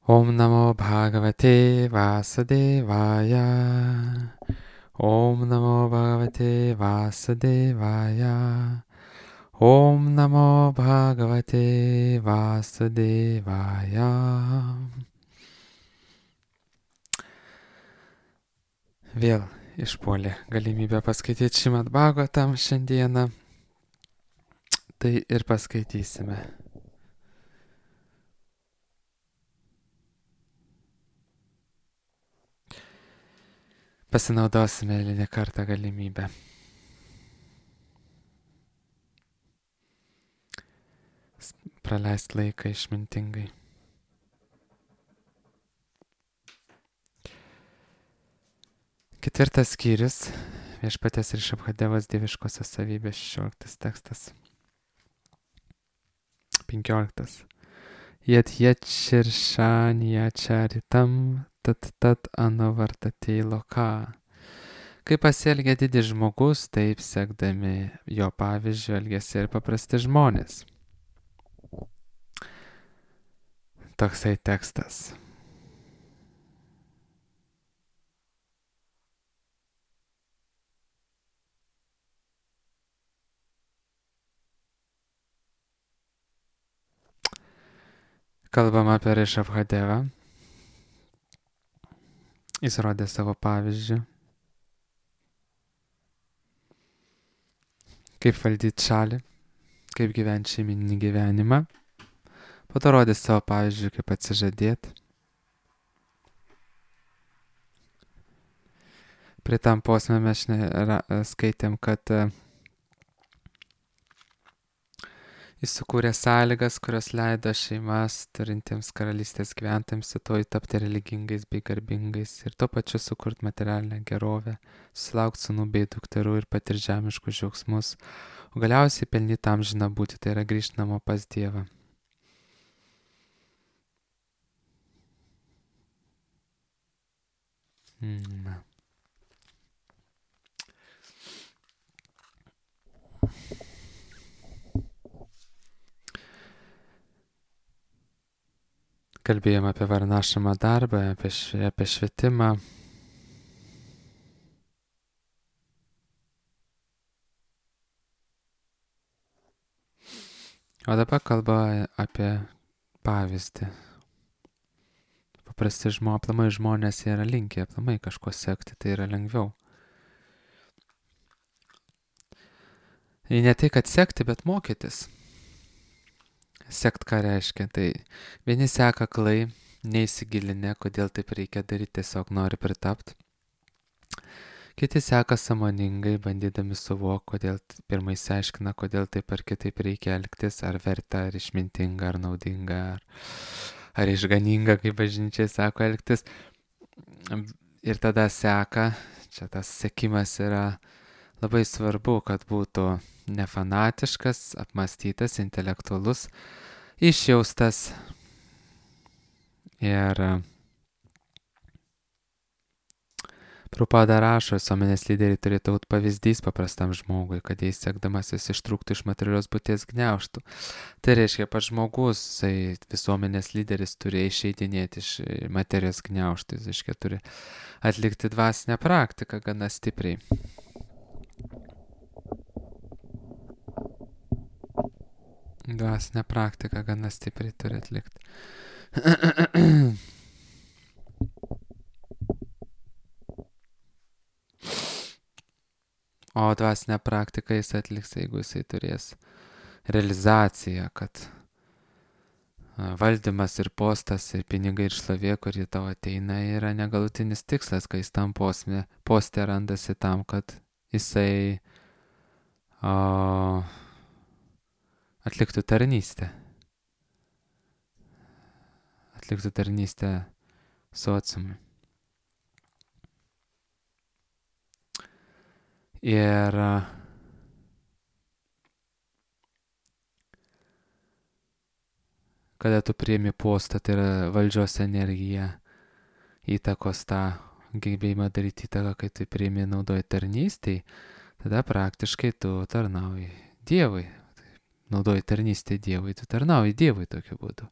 Om Namo Bhagavate Vasudevaya. Om Namo Bhagavate Vasudevaya. Om Namo Bhagavate Vasudevaya. Vėl išpuolė galimybę paskaityti Šrimad Bhagavatam šiandieną. Tai ir paskaitysime. Pasinaudosime eilinį kartą galimybę. Praleisti laiką išmintingai. Ketvirtas skyrius. Viešpaties Rišabhadevos dieviškosios savybės 16 tekstas. 15. Yat širšaniacharitam tat anavartatei loka. Kai pasielgia didis žmogus, taip sekdami jo pavyzdžių elgiasi ir paprasti žmonės. Toksai tekstas. Kalbam apie Rišabhadevą. Jis rodė savo pavyzdžių. Kaip valdyti šalį, kaip gyventi šeiminį gyvenimą. Po to rodė savo pavyzdžių, kaip atsižadėti. Prie tam posme mes skaitėm, kad jis sukūrė sąlygas, kurios leido šeimas turintiems karalystės gyventojams rytoj tapti religingais bei garbingais ir tuo pačiu sukurti materialinę gerovę, susilaukti sūnų bei dukterų ir patirti žemiškus džiaugsmus, o galiausiai pelnyti amžiną būtį, tai yra grįžti namo pas Dievą. Kalbėjom apie varnašamą darbą, apie švietimą. O dabar kalba apie pavyzdį. Paprasti aplamai žmonės yra linkę aplamai kažko sekti, tai yra lengviau. Ir ne tai, kad sekti, bet mokytis. Sekt ką reiškia, tai vieni seka aklai, neįsigilinę, kodėl taip reikia daryti, tiesiog nori pritapti. Kiti seka sąmoningai, bandydami suvokti, kodėl pirmai išsiaiškina, kodėl taip ar kitaip reikia elgtis, ar verta, ar išmintinga, ar naudinga, ar išganinga, kaip bažnyčiai sako, elgtis. Ir tada seka, čia tas sekimas yra labai svarbu, kad būtų nefanatiškas, apmąstytas, intelektualus, išjaustas. Ir Prabhupada rašo, visuomenės lyderiai turėtų būti pavyzdys paprastam žmogui, kad jis sekdamasis ištrūktų iš materialios būties gniaužtų. Tai reiškia, pats žmogus, visuomenės lyderis turi išeidinėti iš materijos gniaužtų, jis reiškia, turi atlikti dvasinę praktiką gana stipriai. Dvasinę praktiką gana stipriai turi atlikti. O dvasinę praktiką jis atliks, jeigu jisai turės realizaciją, kad valdymas ir postas ir pinigai ir šlovė, kurie tau ateina, yra negalutinis tikslas, kai jis tam poste randasi tam, kad jisai atliktų tarnystę. Atliktų tarnystę sociumui. Ir kada tu priimi postą, tai yra valdžios energija, įtakos tą gebėjimą daryti įtaką, kai tu priimi naudoji tarnystėj, tada praktiškai tu tarnauji Dievui. Naudoji tarnystę Dievui, tu tarnauji Dievui tokiu būdu.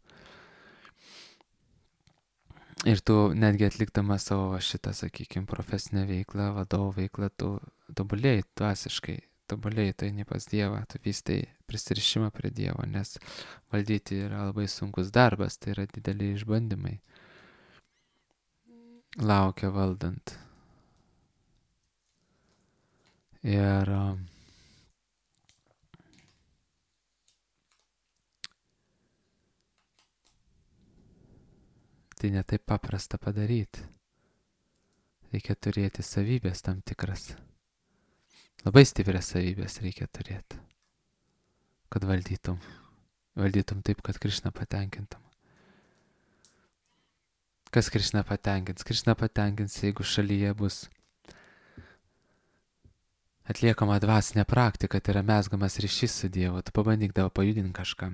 Ir tu netgi atlikdamas savo šitą, sakykime, profesinę veiklą, vadovo veiklą, tu tobulėjai dvasiškai, tobulėjai, tu eini pas Dievą, tu vystai prisirišimą prie Dievo, nes valdyti yra labai sunkus darbas, tai yra dideli išbandymai. Laukia valdant. Ir tai netaip paprasta padaryti. Reikia turėti savybės tam tikras. Labai stiprias savybės reikia turėti, kad valdytum. Valdytum taip, kad Krišną patenkintum. Kas Krišną patenkins? Krišną patenkins, jeigu šalyje bus atliekama dvasinė praktika, tai yra mezgamas ryšys su Dievu. Tu pabandyk dabar pajudinti kažką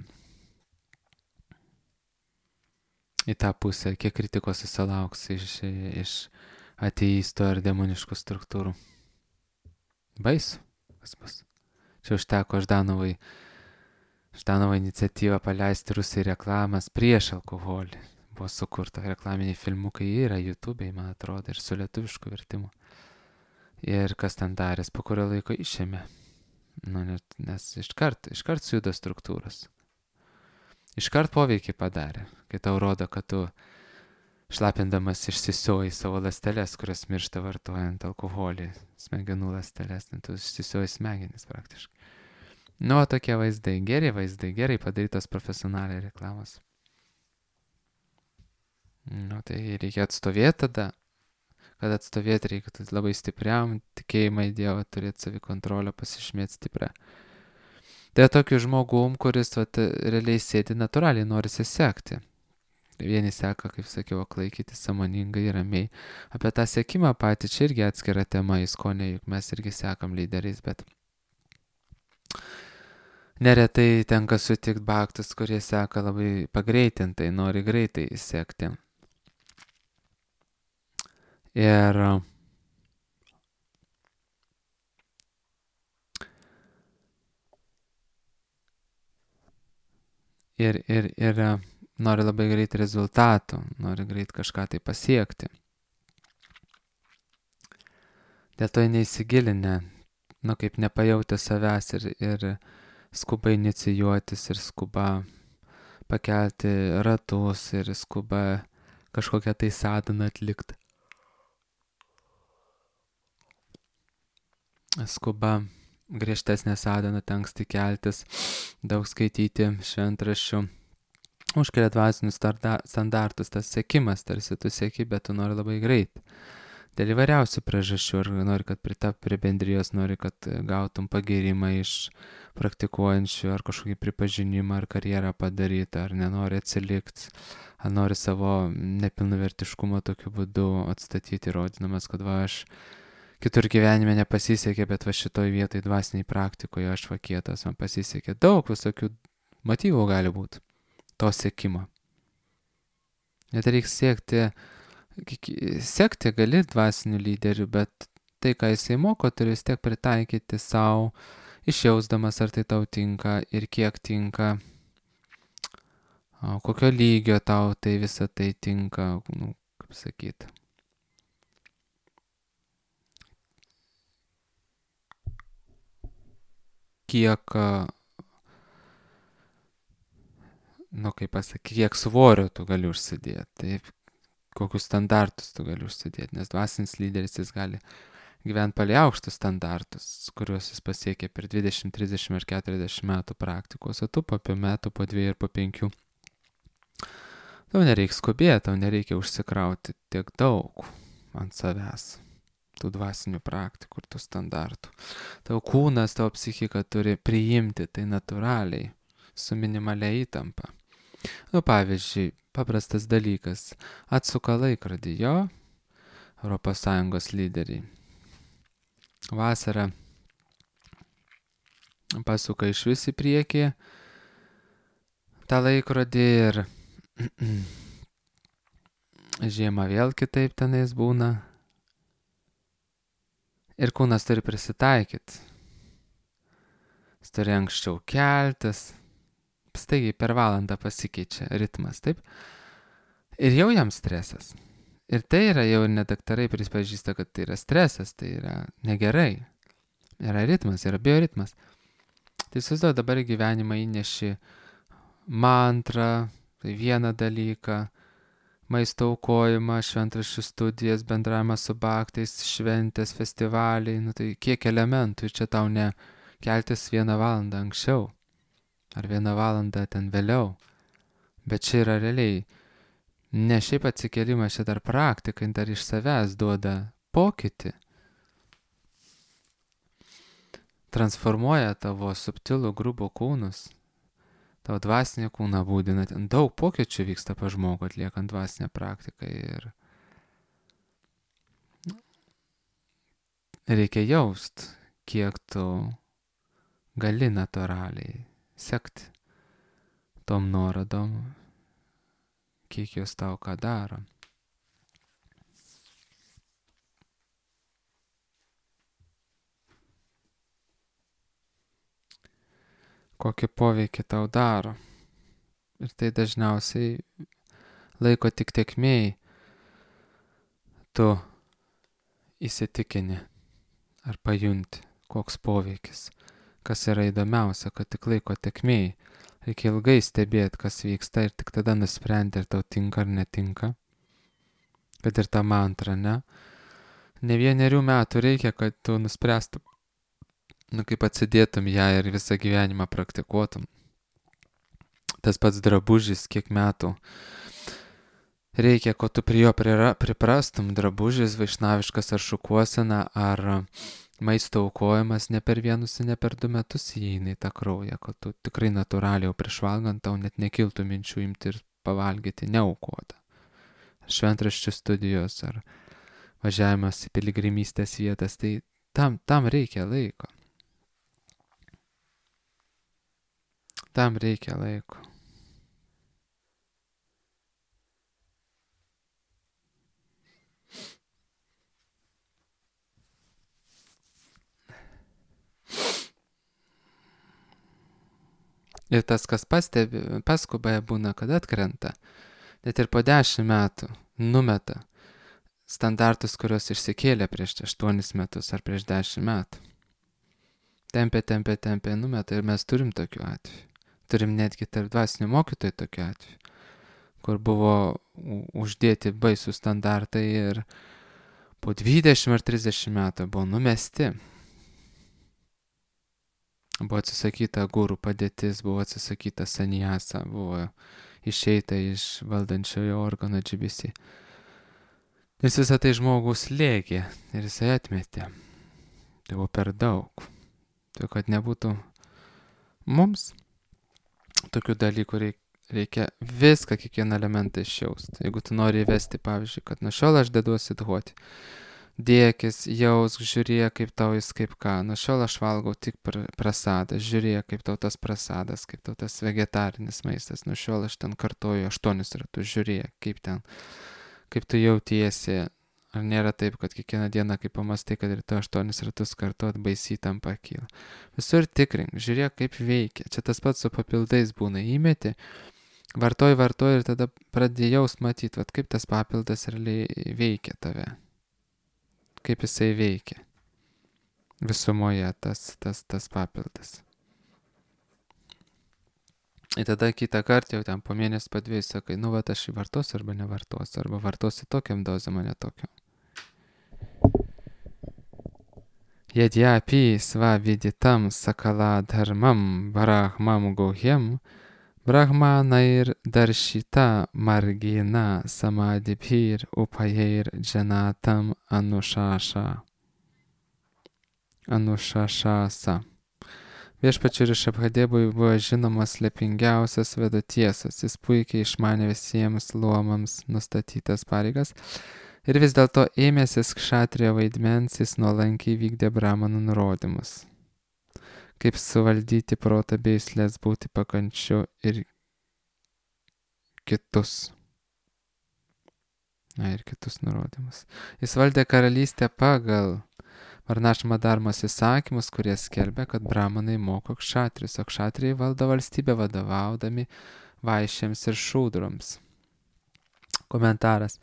į tą pusę, kiek kritikos susilauks iš ateistų ar demoniškų struktūrų. Baisu, kas bus. Čia užteko Ždanovai iniciatyvą paleisti Rusijai reklamas prieš alkoholį. Buvo sukurta reklaminiai filmukai, yra YouTube'ai, man atrodo, ir su lietuvišku vertimu. Ir kas ten darės, po kurio laiko išėmė. Nes iškart sujudo struktūros. Iškart poveikį padarė, kai tau rodo, kad tu šlapindamas išsisioji savo ląsteles, kurios miršta vartojant alkoholį, smegenų ląsteles, tu išsisioji smegenis praktiškai. Tokie vaizdai, gerai padarytos profesionaliai reklamos. Tai reikia atstovėti tada. Kad atstovėti reikia labai stipriam, tikėjimą į Dievą, turėti savikontrolę, pasižymėti stiprią. Tai tokiu žmogum, kuris realiai sėdi natūraliai, norisi sekti. Vieni seka, kaip sakiau, aklai, kiti sąmoningai, ramiai. Apie tą sekimą patį čia irgi atskira tema, įskonė, juk mes irgi sekam lyderiais, bet neretai tenka sutikti baktus, kurie seka labai pagreitintai, nori greitai sekti. Ir nori labai greit rezultatų, nori greit kažką tai pasiekti. Dėl to neįsigilinę, kaip nepajautę savęs ir skuba inicijuotis, ir skuba pakelti ratus, ir skuba kažkokią tai sadhaną atlikti. Skuba griežtesnė sadhana, anksti keltis, daug skaityti šventraščių, užkelia dvasinius standartus, tas sekimas, tarsi tu seki, bet tu nori labai greit. Dėl įvairiausių priežasčių, ar nori, kad pritapti prie bendrijos, nori, kad gautum pagirimą iš praktikuojančių, ar kažkokį pripažinimą, ar karjerą padaryti, ar nenori atsilikti, ar nori savo nepilnavertiškumą tokiu būdu atstatyti, įrodydamas, kad aš kitur gyvenime nepasisekė, bet šitoj vietoj dvasiniai praktikoje aš kietas, man pasisekė. Daug visokių motyvų gali būti to sekimo. Net reikia sekti gali dvasinių lyderių, bet tai, ką jisai moko, turi vis tiek pritaikyti savo, išjausdamas, ar tai tau tinka ir kiek tinka, kokio lygio tau tai visą tai tinka, kaip sakyti. Kiek svorio tu gali užsidėti, taip, kokius standartus tu gali užsidėti, nes dvasinis lyderis jis gali gyventi palei aukštus standartus, kuriuos jis pasiekė per 20, 30 ar 40 metų praktikos, o tu po metų, po 2 ir po 5. Tau nereikia skubėti, tau nereikia užsikrauti tiek daug ant savęs. Tų dvasinių praktikų ir tų standartų. Tavo kūnas, tavo psichika turi priimti tai natūraliai, su minimalia įtampa. Pavyzdžiui, paprastas dalykas, atsuka laikrodį jo, ES lyderiai. Vasarą pasuka iš vis į priekį tą laikrodį ir žiemą vėl kitaip tenais būna. Ir kūnas turi prisitaikyti. Jis turi anksčiau keltis. Staigiai per valandą pasikeičia ritmas, taip? Ir jau jam stresas. Ir tai yra jau net daktarai pripažįsta, kad tai yra stresas, tai yra negerai. Yra ritmas, yra bioritmas. Tai įsivaizduoju, dabar į gyvenimą įneši mantrą, tai vieną dalyką, maisto aukojimą, šventraščių studijas, bendravimą su baktais, šventės, festivaliai, tai kiek elementų ir čia tau ne keltis 1 valandą anksčiau ar 1 valandą ten vėliau, bet čia yra realiai ne šiaip atsikėlimas, čia dar praktika, dar iš savęs duoda pokytį. Transformuoja tavo subtilų grubų kūnus, tavo dvasinį kūną būdina. Ten daug pokyčių vyksta pa žmogų atliekant dvasinę praktiką ir reikia jaust, kiek tu gali natūraliai sekti tom nuorodom, kiek jos tau ką daro. Kokį poveikį tau daro. Ir tai dažniausiai laiko tik tėkmėj tu įsitikini ar pajunti, koks poveikis. Kas yra įdomiausia, kad tik laiko tėkmėj reikia ilgai stebėti, kas vyksta ir tik tada nusprendti, ar tau tinka ar netinka. Kad ir ta mantra, ne? Ne 1 metų reikia, kad tu nuspręstum, kaip atsidėtum ją ir visą gyvenimą praktikuotum. Tas pats drabužis, kiek metų reikia, ko tu prie jo priprastum. Drabužis, vaišnaviškas ar šukuosena, ar maisto aukojimas ne per 1 ir ne per 2 metus įeina į tą kraują, kad tu tikrai natūraliai jau prieš valgant tau net nekiltų minčių imti ir pavalgyti neaukotą. Ar šventraščių studijos, ar važiavimas į piligrimystės vietas, tai tam reikia laiko. Tam reikia laiko. Ir tas, kas paskuba būna, kad atkrenta, net ir po 10 metų numeta standartus, kuriuos išsikėlė prieš 8 metus ar prieš 10 metų. Tempė, numeta ir mes turim tokių atvejų. Turim netgi tarp dvasinių mokytojų tokių atvejų, kur buvo uždėti baisų standartai ir po 20 ar 30 metų buvo numesti. Buvo atsisakyta gurų padėtis, buvo atsisakyta sanjasa, buvo išeita iš valdančiojo organo GBC. Nes visą tai žmogus lėkė ir jisai atmetė. Tai buvo per daug. Tai kad nebūtų mums tokių dalykų reikia viską, kiekvieną elementą išjausti. Jeigu tu nori įvesti, pavyzdžiui, kad nuo šiol aš deduosi duoti, dėkis, jausk, žiūrėk, kaip tau jis kaip ką. Nuo šiol aš valgau tik prasadą, žiūrėk, kaip tau tas prasadas, kaip tau tas vegetarinis maistas. Nuo šiol aš ten kartoju 8 ratus, žiūrėk, kaip tu jautiesi. Ar nėra taip, kad kiekvieną dieną, kai pamastai, kad ir tu 8 ratus kartuot, baisiai tam pakyla. Visur tikrink, žiūrėk, kaip veikia. Čia tas pats su papildais būna. Įmeti, vartoji ir tada pradėjai jaust matyti, kaip tas papildas realiai veikia tave. Kaip jisai veikia. Visumoje tas papildas. Ir tada kitą kartą jau ten po mėnesį po 2 sakai, aš jį vartosiu arba nevartosiu, arba vartosiu tokiam dozėm, o ne tokiam. Yadyapi svaviditam sakala dharmam brahmam gohyam brahmanair darshita margina samadibhir upayair janatam anushashasa. Viešpačiui Rišabhadevui buvo žinomas slėpingiausias vedų tiesas, jis puikiai išmanė visiems luomams nustatytas pareigas ir vis dėlto ėmėsis kšatrijo vaidmens, jis nuolankiai vykdė brahmanų nurodymus. Kaip suvaldyti protą bei juslės, būti pakančiu ir kitus. Ir kitus nurodymus. Jis valdė karalystę pagal Varnašrama dharmos įsakymus, kurie skelbia, kad brahmanai moko kšatrius, o kšatrijai valdo valstybę vadovaudami vaišėms ir šūdroms, Komentaras.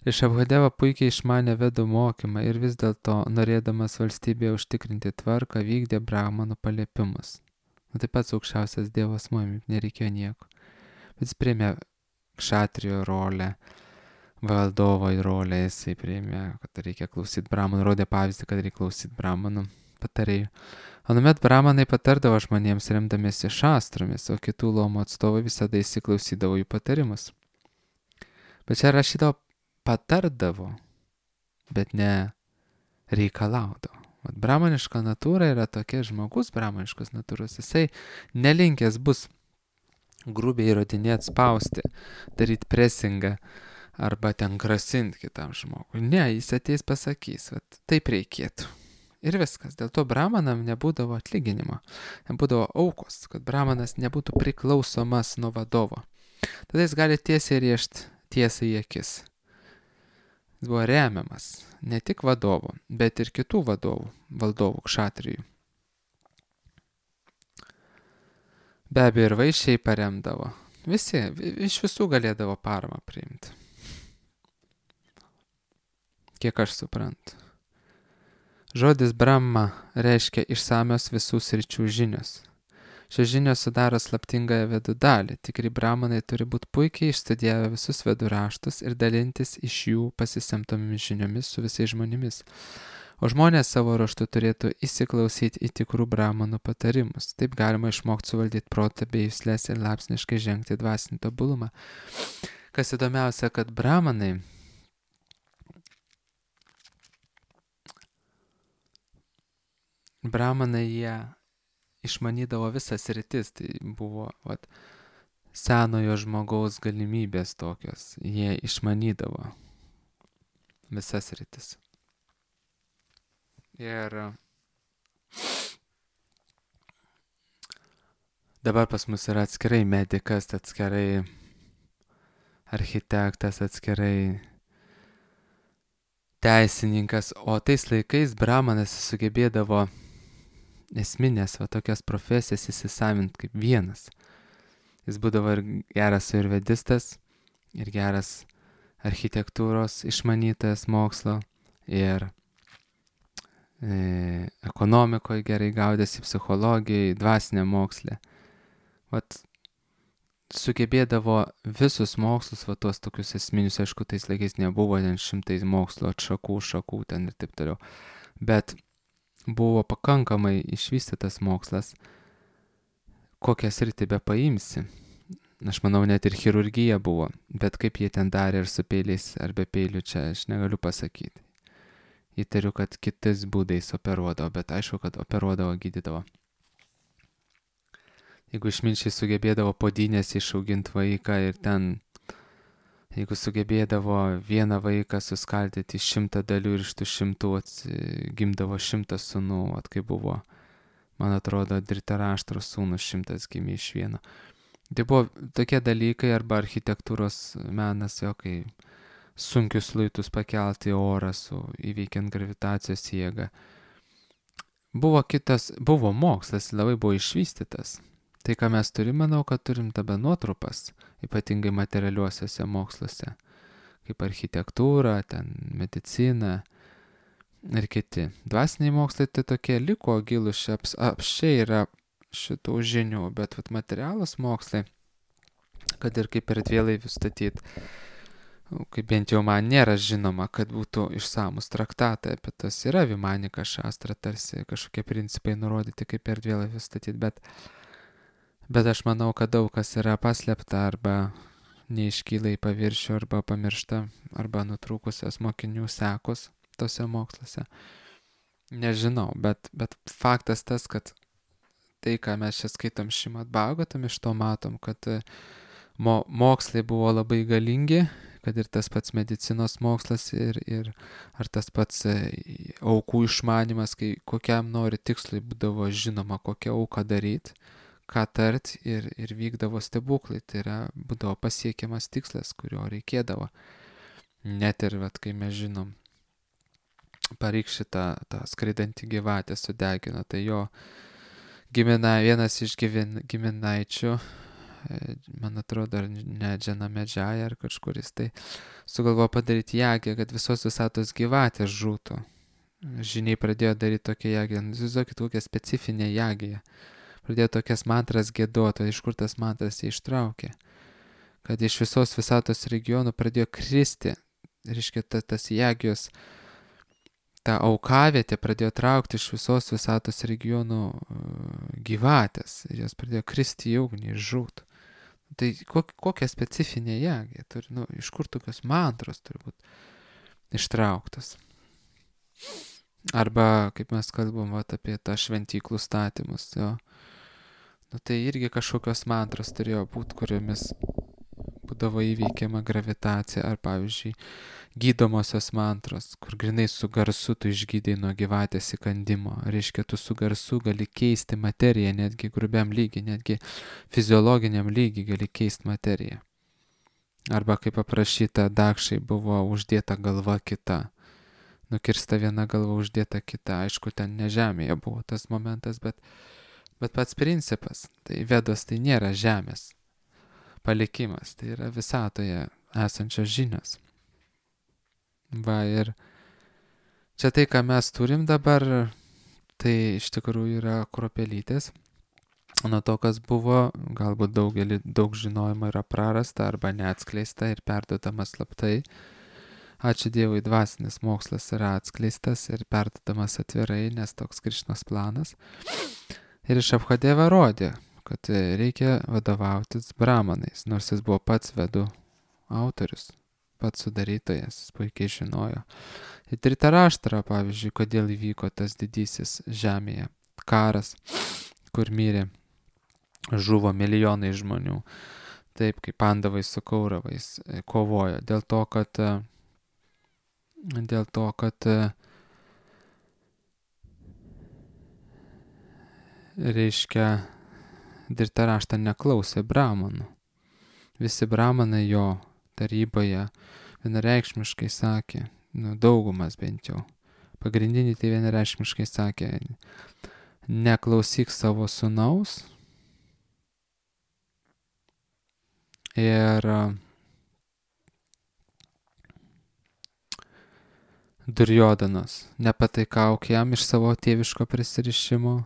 Rišabhadeva puikiai išmanė vedų mokymą ir vis dėlto, norėdamas valstybėje užtikrinti tvarką, vykdė brahmanų paliepimus. Taip pat aukščiausias dievas muimi, nereikėjo nieko. Bet jis priėmė kšatrijo rolę, valdovo rolę, jisai priėmė, kad reikia klausyti brahmanų, rodė pavyzdį, kad reikia klausyti brahmanų patarėjų. Anuomet brahmanai patardavo žmonėms remdamiesi šastromis, o kitų luomų atstovai visada įsiklausydavo jų patarimus. Bet čia rašydavo patardavo, bet ne reikalaudavo. Vat brahmaniška natūra yra tokia, žmogus brahmaniškos natūros, jisai nelinkęs bus grubiai įrodinėti, spausti, daryti presingą arba ten grasinti kitam žmogui. Ne, jis ateis pasakys, vat taip reikėtų. Ir viskas. Dėl to brahmanam nebūdavo atlyginimo, nebūdavo aukos, kad brahmanas nebūtų priklausomas nuo vadovo. Tada jis gali tiesiai rėžti tiesai į akis. Jis buvo remiamas ne tik vadovų, bet ir kitų vadovų, valdovų, kšatrijų. Be abejo ir vaišiai paremdavo. Visi, iš visų galėdavo paramą priimti. Kiek aš suprantu. Žodis Brahma reiškia išsamios visų sričių žinios. Šios žinios sudaro slaptingąją vedų dalį. Tikri brahmanai turi būti puikiai išstudijavę visus vedų raštus ir dalintis iš jų pasisemtomis žiniomis su visais žmonėmis. O žmonės savo ruožtu turėtų įsiklausyti į tikrų brahmanų patarimus. Taip galima išmokti suvaldyti protą bei juslės ir laipsniškai žengti dvasinį tobulumą. Kas įdomiausia, kad brahmanai jie išmanydavo visas sritis, tai buvo senojo žmogaus galimybės tokios, jie išmanydavo visas sritis. Ir dabar pas mus yra atskirai medikas, atskirai architektas, atskirai teisininkas, o tais laikais brahmanas sugebėdavo esminės tokias profesijas įsisavint kaip vienas. Jis būdavo ir geras ayurvedistas, ir geras architektūros išmanytojas mokslo, ir ekonomikoje gerai gaudėsi, psichologijai, dvasinė mokslė. Sugebėdavo visus mokslus, tuos tokius esminius, aišku, tais laikais nebuvo ten šimtai mokslo šakų ten ir taip toliau. Bet buvo pakankamai išvystytas mokslas, kokią sritį be paimsi. Aš manau, net ir chirurgija buvo, bet kaip jie ten darė ir su peiliais ar be peilių, čia aš negaliu pasakyti. Įtariu, kad kitais būdais operuodavo, bet aišku, kad operuodavo, gydydavo. Jeigu išminčiai sugebėdavo podynės išauginti vaiką ir ten, jeigu sugebėdavo vieną vaiką suskaldyti į 100 dalių ir iš tų 100 gimdavo 100 sūnų, kai buvo, man atrodo, Dhritarashtra sūnus 100 gimė iš vieno. Tai buvo tokie dalykai, arba architektūros menas, kai sunkius luitus pakelti į orą įveikiant gravitacijos jėgą. Buvo mokslas, labai buvo išvystytas. Tai, ką mes turim, manau, kad turim dabar nuotrupas, ypatingai materialiuosiuose moksluose, kaip architektūra, ten medicina ir kiti. Dvasiniai mokslai tai tokie liko gilūs, apščiai yra šitų žinių, bet materialūs mokslai, kad ir kaip erdvėlaivių statyti, kaip bent jau man nėra žinoma, kad būtų išsamus traktatai apie tas, yra Vimanika šastra, tarsi kažkokie principai nurodyti, kaip erdvėlaivių statyti, bet aš manau, kad daug kas yra paslėpta arba neiškyla į paviršių, arba pamiršta, arba nutrūkusios mokinių sekos tose moksluose. Nežinau, bet faktas tas, kad tai, ką mes čia skaitom Šrimad Bhagavatam, iš to matom, kad mokslai buvo labai galingi, kad ir tas pats medicinos mokslas ir ar tas pats aukų išmanimas, kai kokiam nori tikslui būdavo žinoma, kokią auką daryti, ką tart ir vykdavo stebuklai. Tai yra, būdavo pasiekiamas tikslas, kurio reikėdavo. Net ir, kai mes žinom, Parikšitą tą skraidantį gyvatę sudegino, tai jo vienas iš giminaičių man atrodo, ar ne Džanamedžiaja ar kažkuris, tai sugalvojo padaryti jagę, kad visos visatos gyvatės žūtų. Žiniai pradėjo daryti tokią jagę, įsivaizduokit kokią specifinę jagę. Pradėjo tokias mantras gėduoti, iš kur tas mantras jie ištraukė. Kad iš visos visatos regionų pradėjo kristi, reiškia, tas jagijos, ta aukavietė pradėjo traukti iš visos visatos regionų gyvatės. Ir jos pradėjo kristi į ugnį ir žūt. Tai kokia specifinė jagė turi, iš kur tokios mantros turi būti ištrauktos. Arba, kaip mes kalbam apie tą šventyklų statymus, jo. Tai irgi kažkokios mantros turėjo būti, kuriomis būdavo įveikiama gravitacija, ar pavyzdžiui, gydomosios mantros, kur grinai su garsu tu išgydai nuo gyvatės įkandimo. Reiškia, tu su garsu gali keisti materiją, netgi grubiam lygiai, netgi fiziologiniam lygiai gali keisti materiją. Arba, kaip aprašyta, Dakšai buvo uždėta galva kita. Nukirsta viena galva, uždėta kita. Aišku, ten ne žemėje buvo tas momentas, bet pats principas. Tai Vedos tai nėra žemės palikimas, tai yra visatoje esančios žinios. Va, ir čia tai, ką mes turim dabar, tai iš tikrųjų yra kruopelytės. Nuo to, kas buvo, galbūt daug žinojimo yra prarasta arba neatskleista ir perduodama slaptai. Ačiū Dievui, dvasinis mokslas yra atskleistas ir perduodamas atvirai, nes toks Krišnos planas. Ir Šabhadeva rodė, kad reikia vadovautis brahmanais, nors jis buvo pats Vedų autorius, pats sudarytojas, jis puikiai žinojo. Ir Dhritaraštra, pavyzdžiui, kodėl įvyko tas didysis žemėje karas, kur mirė, žuvo milijonai žmonių, taip kaip Pandavai su Kauravais kovojo, dėl to, kad reiškia, Dhritaraštra neklausė brahmanų. Visi brahmanai jo taryboje vienareikšmiškai sakė, daugumas bent jau, pagrindiniai tai vienareikšmiškai sakė, neklausyk savo sūnaus ir Durjodanos, nepataikauk jam iš savo tėviško prisirišimo,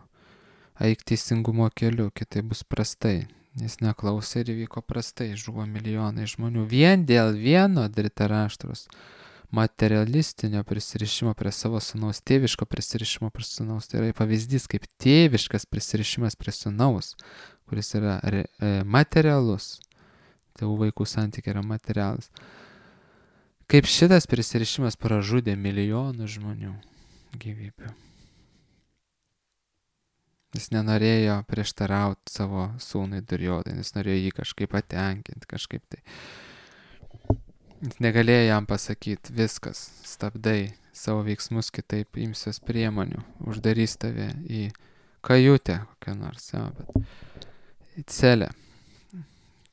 eik teisingumo keliu, kitaip bus prastai. Jis neklausė ir įvyko prastai, žuvo milijonai žmonių. Vien dėl vieno Dhritaraštros materialistinio prisirišimo prie savo sūnaus, tėviško prisirišimo prie sūnaus. Tai yra pavyzdys kaip tėviškas prisirišimas prie sūnaus, kuris yra materialus. Tėvų vaikų santykiai yra materialus. Kaip šitas prisirišimas pražudė milijonų žmonių gyvybių. Jis nenorėjo prieštarauti savo sūnui Duryodhanai, jis norėjo jį kažkaip patenkinti, kažkaip tai. Jis negalėjo jam pasakyti, viskas, stabdai savo veiksmus, kitaip imsios priemonių, uždarys tave į kajutę kokią nors, bet į celę,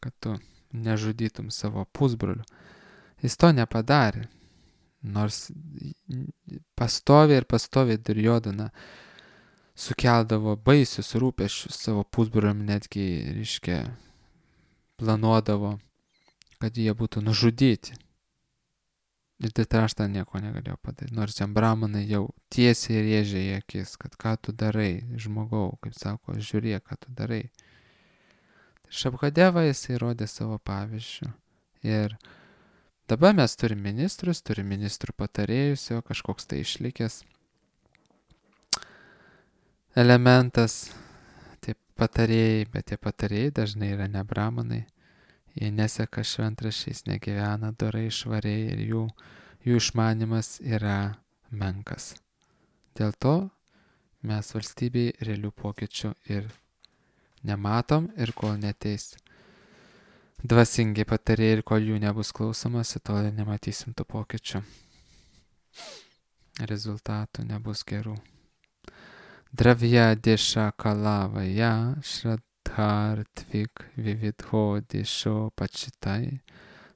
kad tu nežudytum savo pusbrolių. Jis to nepadarė, nors pastoviai Duryodhana sukeldavo baisius rūpesčius savo pusbroliam, netgi, reiškia, planuodavo, kad jie būtų nužudyti. Ir Dhritarashtra nieko negalėjo padaryti, nors jam brahmanai jau tiesiai rėžė į akis, kad ką tu darai, žmogau, kaip sako, žiūrėk, ką tu darai. Šabhadeva jisai rodė savo pavyzdžių. Ir dabar mes turime ministrų patarėjus, jo kažkoks tai išlikęs elementas, tie patarėjai, bet tie patarėjai dažnai yra ne brahmanai, jie neseka šventraščiais, negyvena dorai, švariai ir jų išmanimas yra menkas. Dėl to mes valstybėje realių pokyčių ir nematom, ir kol neteis dvasingi patarėjai ir kol jų nebus klausomasi, tol nematysim tų pokyčių. Rezultatų nebus gerų. Dravya desha kalavaya shraddhartvik vividho desho pachitai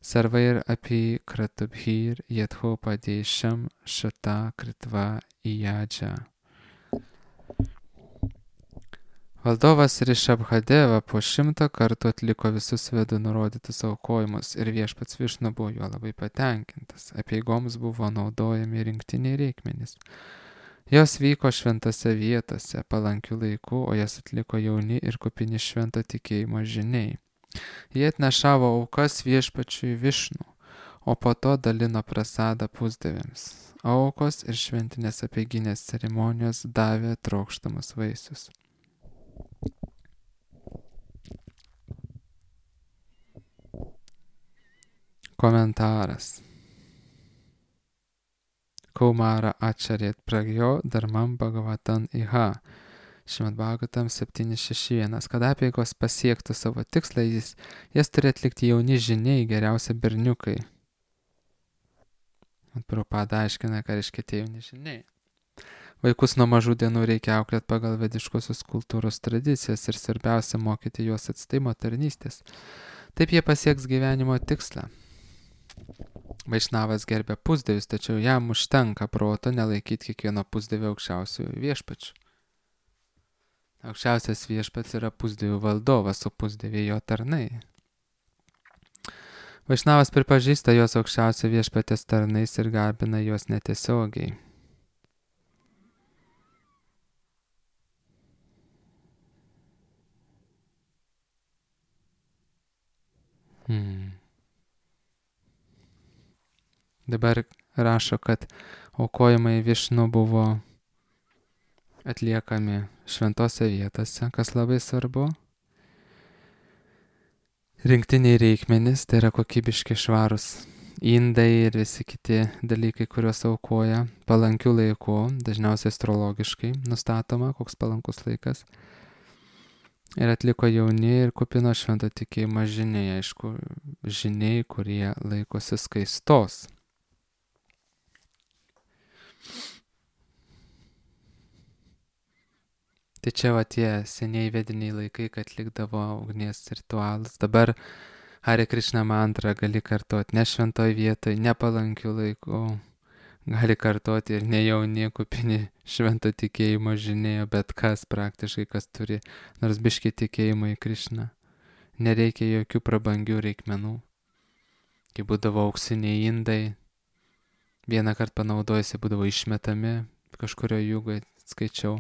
sarvair api kratubhir yadho padesham shata kritva iyaja. Valdovas Rišabhadeva po 100 kartų atliko visus vedų nurodytus aukojimus ir viešpats Višnu buvo juo labai patenkintas. Apieigoms buvo naudojami rinktiniai reikmenys. Jos vyko šventose vietose, palankių laikų, o jas atliko jauni ir kupini švento tikėjimo žiniai. Jie atnešavo aukas viešpačiui Višnu, o po to dalino prasadą pusdieviams. Aukos ir šventinės apeiginės ceremonijos davė trokštamus vaisius. Komentaras. Kaumara Acharėt Pragjo Dharmam Bhagavatam Iha. Šrimad Bhagavatam 761. Kad apeigos pasiektų savo tikslą, jas turi atlikti jauni žiniai, geriausia berniukai. Prabhupada aiškina, ką reiškia tie jauni žiniai. Vaikus nuo mažų dienų reikia auklėti pagal vediškosios kultūros tradicijas ir svarbiausia mokyti juos atstaimo tarnystės. Taip jie pasieks gyvenimo tikslą. Vaišnavas gerbia pusdievius, tačiau jam užtenka proto nelaikyti kiekvieno pusdievio aukščiausiųjų viešpačių. Aukščiausias viešpats yra pusdievių valdovas, o pusdieviai jo tarnai. Vaišnavas pripažįsta jos aukščiausio viešpatės tarnais ir garbina juos netiesiogiai. Dabar rašo, kad aukojimai Višnu buvo atliekami šventose vietose, kas labai svarbu. Rinktiniai reikmenys, tai yra kokybiški švarūs indai ir visi kiti dalykai, kuriuos aukoja palankių laikų, dažniausiai astrologiškai nustatoma, koks palankus laikas. Ir atliko jauni ir kupino švento tikėjimo žiniai, aišku, žiniai, kurie laikosi skaistos. Tai čia va tie seniai vediniai laikai, kad atlikdavo ugnies ritualus. Dabar Hare Krishna mantrą gali kartoti ne šventoj vietoj, nepalankių laikų. Gali kartoti ir ne jauni, kupini švento tikėjimo žinėjo, bet kas praktiškai, kas turi nors biškį tikėjimo į Krishną. Nereikia jokių prabangių reikmenų. Kai būdavo auksiniai indai, vieną kartą panaudojusi būdavo išmetami, kažkurio jūgoje skaičiau.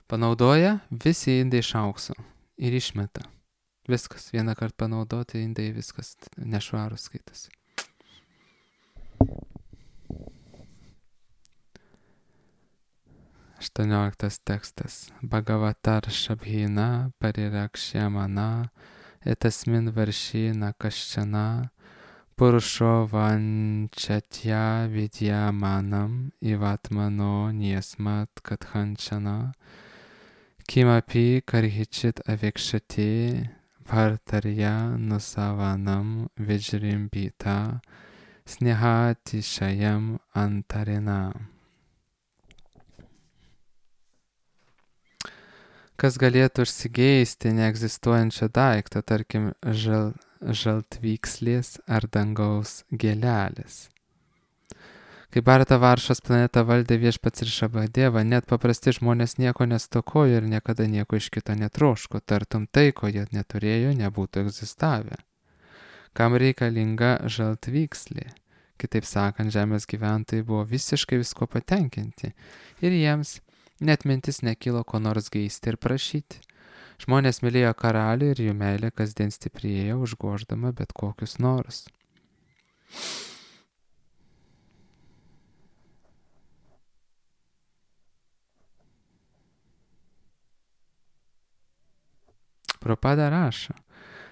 Panaudoja visi indai iš aukso ir išmeta. Viskas, vieną kartą panaudoti indai, viskas nešvarus skaitosi. Aštuonioliktas tekstas. Bhagavatar Shabhina Parirakšyamana etasmin varšyna kaščiana Purusho vančatya vidyamanam ivatmano niesmat kathanchana Kimapi karhichit avikshati bhartarya nusavanam vijrimbita snehatishayam antarina. Kas galėtų užsigeisti neegzistuojančią daiktą, tarkim, žaltvykslės ar dangaus gėlelės. Kai Bharata Varšos planetą valdė viešpats Rišabhadeva, net paprasti žmonės nieko nestokojo ir niekada nieko iš kito netroško, tartum tai, ko jie neturėjo, nebūtų egzistavę. Kam reikalinga žaltvykslė? Kitaip sakant, žemės gyventojai buvo visiškai visko patenkinti ir jiems net mintis nekilo ko nors geisti ir prašyti. Žmonės mylėjo karalių ir jų meilė kasdien stiprėjo, užgoždama bet kokius norus. Prabhupada rašo,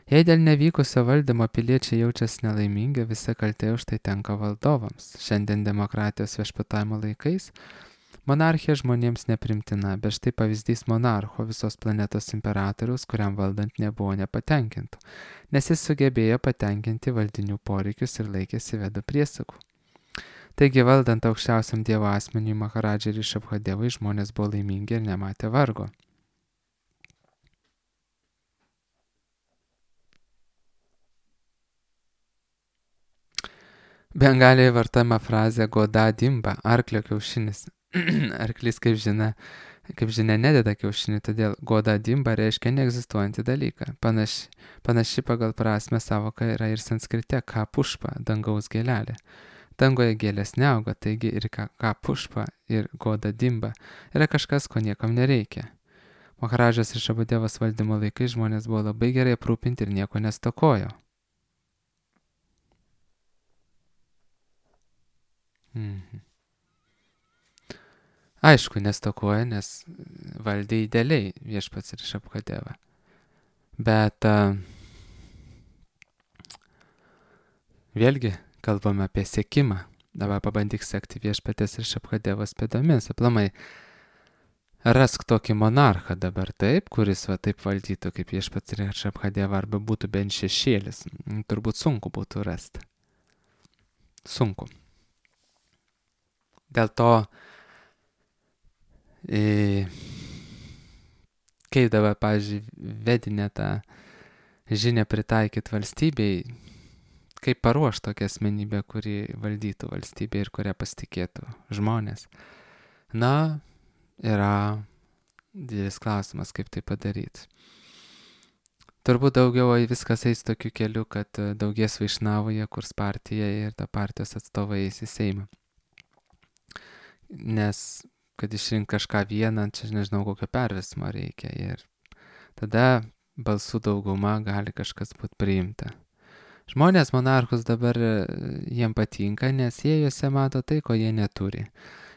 jei dėl nevykusio valdymo piliečiai jaučiasi nelaimingi, visa kaltė už tai tenka valdovams. Šiandien demokratijos viešpatavimo laikais monarchija žmonėms neprimtina, bet štai pavyzdys monarcho, visos planetos imperatoriaus, kuriam valdant nebuvo nepatenkintų, nes jis sugebėjo patenkinti valdinių poreikius ir laikėsi vedų priesakų. Taigi valdant aukščiausiam dievo asmeniui Maharadžai Rišabhadevai žmonės buvo laimingi ir nematė vargo. Bengalijoje vartojama frazė goda dimba, arklio kiaušinis. arklys, kaip žinia, nededa kiaušinių, todėl goda dimba reiškia neegzistuojantį dalyką. Panaši pagal prasme savoka yra ir sanskrite ka pušpa, dangaus gėlelė. Dangoje gėlės neauga, taigi ir ka pušpa ir goda dimba yra kažkas, ko niekam nereikia. Maharadžas ir Šabadevas valdymo laikai žmonės buvo labai gerai aprūpinti ir nieko nestokojo. Aišku, nestokoja, nes valdė idealiai viešpats ir Šabadeva. Bet vėlgi kalbame apie sekimą. Dabar pabandyk sekti viešpatės ir Šabadevos pėdomis. Aplamai, rask tokį monarchą dabar taip, kuris va taip valdytų kaip viešpats ir Šabadeva, arba būtų bent šešėlis. Turbūt sunku būtų rasti. Sunku. Dėl to, kaip dabar, pavyzdžiui, vedinę tą žinią pritaikyti valstybei, kaip paruošti tokią asmenybę, kuri valdytų valstybę ir kurią pasitikėtų žmonės. Na, yra didelis klausimas, kaip tai padaryti. Turbūt daugiau viskas eis tokiu keliu, kad daugės Vaišnavoje, kurs partija ir ta partijos atstovai eis į Seimą. Nes, kad išrink kažką vieną, čia nežinau, kokio perversmo reikia. Ir tada balsų dauguma gali kažkas būti priimta. Žmonės monarchus dabar jiem patinka, nes jie juose mato tai, ko jie neturi.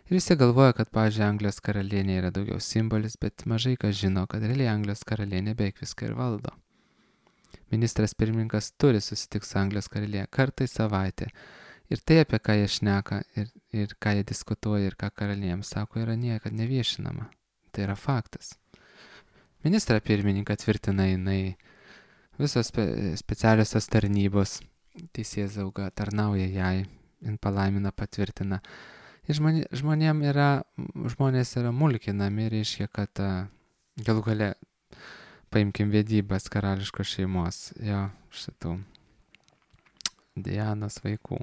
Ir visi galvoja, kad, pavyzdžiui, Anglijos karalienė yra daugiau simbolis, bet mažai kas žino, kad realiai Anglijos karalienė beveik viską ir valdo. Ministras pirmininkas turi susitikti su Anglijos karalienė kartą į savaitę. Ir tai, apie ką jie šneka, ir ką jie diskutuoja, ir ką karalienėms sako, yra niekad neviešinama. Tai yra faktas. Ministrą pirmininką tvirtina jinai, visos specialiosios tarnybos, teisėsauga tarnauja jai, jin palaimina, patvirtina. Ir žmonės yra mulkinami, reiškia, kad galų gale, paimkim vedybas karališkos šeimos, jo, šitų Dianos vaikų.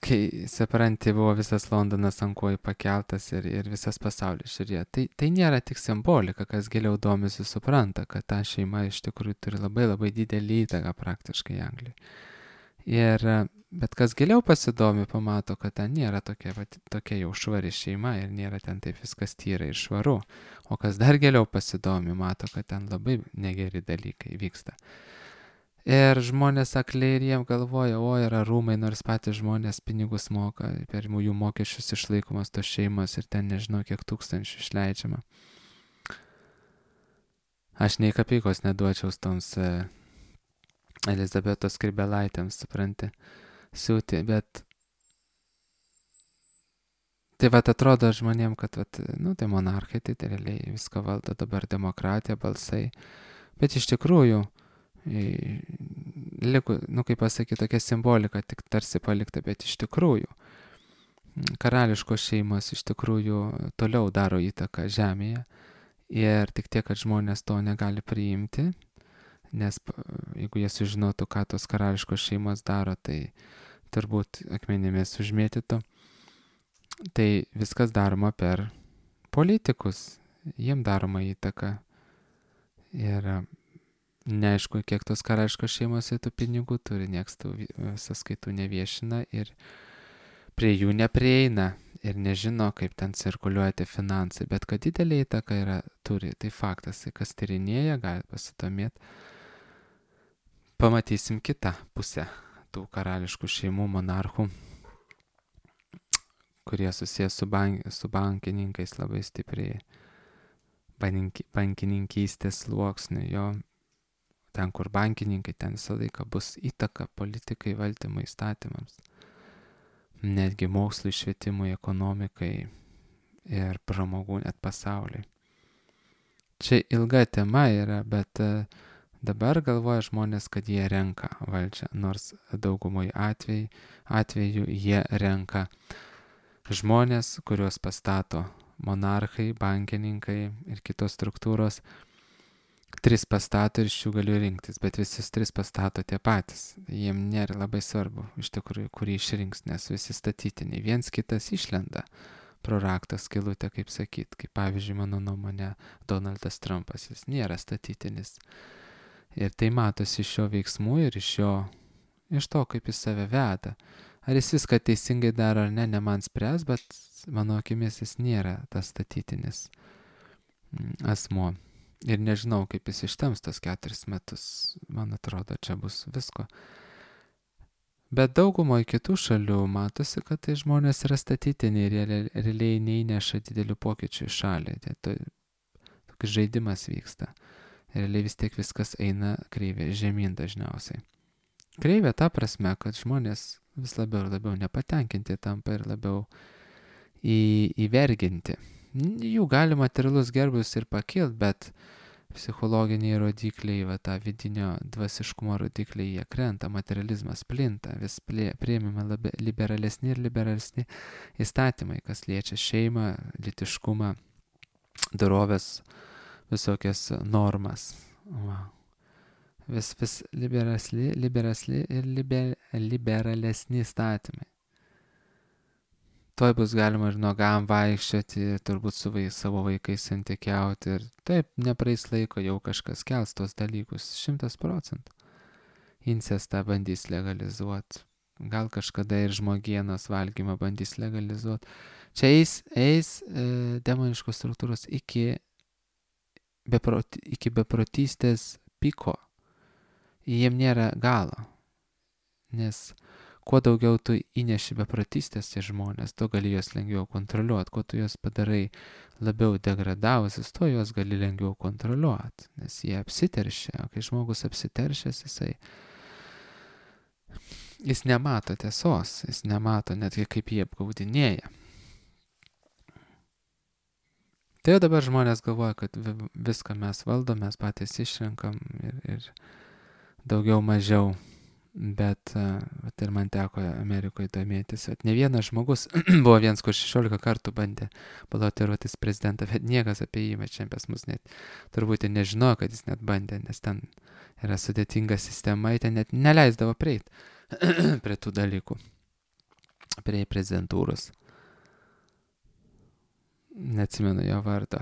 Kai, supranti, buvo visas Londonas ant kojų pakeltas ir visas pasaulis žiūrėjo. Tai nėra tik simbolika, kas giliau domisi supranta, kad ta šeima iš tikrųjų turi labai labai didelį įtaką praktiškai Anglijai. Bet kas giliau pasidomi, pamato, kad ten nėra tokia jau švari šeima ir nėra ten taip viskas tyra ir švaru. O kas dar giliau pasidomi, mato, kad ten labai negeri dalykai vyksta. Ir žmonės akliai ir jiem galvoja, yra rūmai, nors patys žmonės pinigus moka, per jų mokesčius išlaikomas tos šeimos ir ten nežinau, kiek tūkstančių išleidžiama. Aš nei kapykos neduočiau toms Elizabetos Skrybėlaitėms, supranti, siūti, bet tai atrodo žmonėm, kad tai monarchai, tai realiai viską valdo dabar demokratija, balsai, bet iš tikrųjų liko, kaip pasakyti, tokia simbolika tik tarsi palikta, bet iš tikrųjų karališkos šeimos iš tikrųjų toliau daro įtaką žemėje ir tik tiek, kad žmonės to negali priimti, nes jeigu jie sužinotų, ką tos karališkos šeimos daro, tai turbūt akmenimis užmėtytų. Tai viskas daroma per politikus, jiem daroma įtaka ir neaišku, kiek tos karališkos šeimos tų pinigų turi, nieks tų sąskaitų neviešina ir prie jų neprieina ir nežino, kaip ten cirkuliuoja tie finansai, bet kad didelė įtaka turi, tai faktas, kas tyrinėja, gali pasidomėti. Pamatysim kitą pusę tų karališkų šeimų, monarchų, kurie susijęs su bankininkais labai stipriai, bankininkystės sluoksniu, jo. Ten, kur bankininkai, ten visą laiką bus įtaka politikai, valdymo įstatymams, netgi mokslui, švietimui, ekonomikai ir pramogų net pasauliui. Čia ilga tema yra, bet dabar galvoja žmonės, kad jie renka valdžią, nors daugumoje atveju jie renka žmonės, kuriuos pastato monarchai, bankininkai ir kitos struktūros. 3 pastato ir iš jų galiu rinktis, bet visus 3 pastato tie patys. Jiem nėra labai svarbu, iš tikrųjų, kurį išrinks, nes visi statytiniai. Viens kitas išlenda pro rakto skylutę, kaip sakyt. Kaip pavyzdžiui, mano nuomonė, Donaldas Trumpas, jis nėra statytinis. Ir tai matosi iš jo veiksmų ir iš to, kaip jis save veda. Ar jis viską teisingai daro ar ne man spręs, bet mano akimis jis nėra tas statytinis asmo. Ir nežinau, kaip jis ištems tos 4 metus. Man atrodo, čia bus visko. Bet daugumoje kitų šalių matosi, kad tai žmonės yra statytiniai ir jie realiai neįneša didelių pokyčių į šalį. Toks žaidimas vyksta. Realiai vis tiek viskas eina kreivė žemyn dažniausiai. Kreivė ta prasme, kad žmonės vis labiau ir labiau nepatenkinti tampa ir labiau įverginti. Jų gali materialus gerbus ir pakilt, bet psichologiniai rodikliai, tą vidinio dvasiškumo rodikliai, jie krenta, materializmas plinta, vis priėmime liberalesni ir liberalesni įstatymai, kas liečia šeimą, lytiškumą, dorovės, visokias normas. Vis liberalesni įstatymai. Tuoj bus galima ir nuogam vaikščioti, turbūt su savo vaikais santykiauti ir taip, nepraeis laiko, jau kažkas kels tos dalykus 100%. Incestą bandys legalizuoti, gal kažkada ir žmogienos valgymą bandys legalizuoti. Čia eis demoniškos struktūros iki beprotystės piko. Jiem nėra galo, nes kuo daugiau tu įneši beprotystės į žmonės, tu gali juos lengviau kontroliuoti. Kuo tu juos padarai labiau degradavusius, tuo juos gali lengviau kontroliuoti, nes jie apsiteršia. O kai žmogus apsiteršęs, jis nemato tiesos, jis nemato netgi kaip jie apgaudinėja. Tai jau dabar žmonės galvoja, kad viską mes valdom, mes patys išrenkam ir daugiau mažiau. Bet ir man teko Amerikoje domėtis. Ne vienas žmogus, buvo vienas, kur 16 kartų bandė balotiruotis prezidentą, bet niekas apie jį čia pas mus net turbūt nežinojo, kad jis net bandė, nes ten yra sudėtinga sistema, ten net neleisdavo prieiti prie tų dalykų, prie prezidentūros. Neatsimenu jo vardo.